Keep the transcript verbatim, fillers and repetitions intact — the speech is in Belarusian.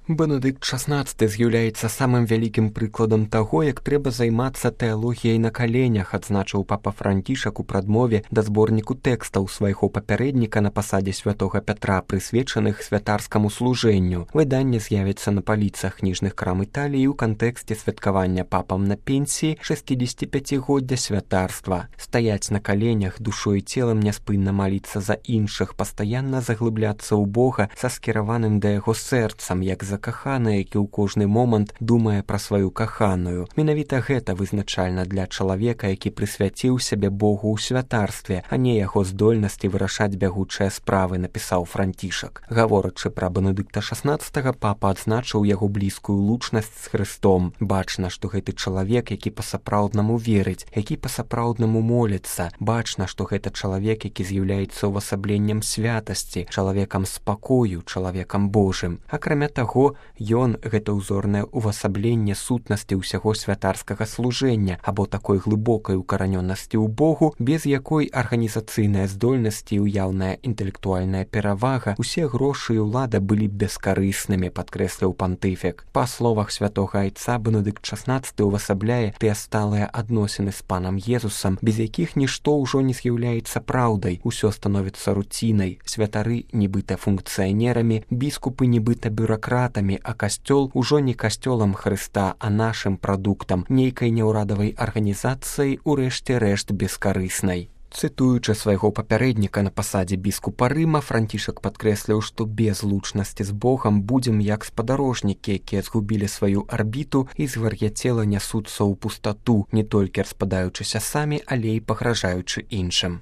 Бенедыкт шаснаццаты з'яўляецца самым вялікім прыкладам таго, як трэба займацца тэалогіяй на каленях, адзначыў папа Францішак у прадмове да зборніку тэкстаў свайго папярэдніка на пасадзе святога Пятра, прысвечаных святарскаму служэнню. Выданне з'явіцца на паліцах кніжных крам Італіі ў кантэксце святкавання папам на пенсіі шэсцідзесяціпяцігоддзя святарства. Стаяць на каленях, душой і целам няспынна маліцца за іншых, пастаянна заглыбляцца ў Бога са скіраваным да яго сэрцам, як закаханы, які ў кожны момант думае пра сваю каханую. Менавіта гэта вызначальна для чалавека, які прысвяціў сябе Богу ў святарстве, а не яго здольнасці вырашаць бягучыя справы, напісаў Францішак. Гаворачы пра Бенедыкта шаснаццатага, папа адзначыў яго блізкую лучнасць з Хрыстом. Бачна, што гэты чалавек, які па-сапраўднаму верыць, які па-сапраўднаму моліцца. Бачна, што гэта чалавек, які з'яўляецца увасабленнем святасці, чалавекам спакою, чалавекам Божым. Акрамя таго, ён — гэта ўзорнае увасабленне сутнасці ўсяго святарскага служэння або такой глыбокай укаранёнасці ў Богу, без якой арганізацыйная здольнасць і ўяўная інтэлектуальная перавага, усе грошы і ўлада былі бескарыснымі, падкрэсліў пантыфік. Па словах святога айца, Бенедыкт шаснаццаты увасабляе тыя сталыя адносіны з панам Езусам, без якіх нішто ўжо не з'яўляецца праўдай, усё становіцца руцінай, святары нібыта функцыянерамі, біскупы нібыта бюракратамі, а касцёл ужо не касцёлам Хрыста, а нашым прадуктам, нейкай няўрадавай арганізацыяй, урэшце рэшт бескарыснай. Цытуючы свайго папярэдніка на пасадзе біскупа Рыма, Францішак падкрэсліў, што без лучнасці з Богам будзем як спадарожнікі, якія згубілі сваю арбіту і звар'яцела нясуцца ў пустату, не толькі распадаючыся самі, але і пагражаючы іншым.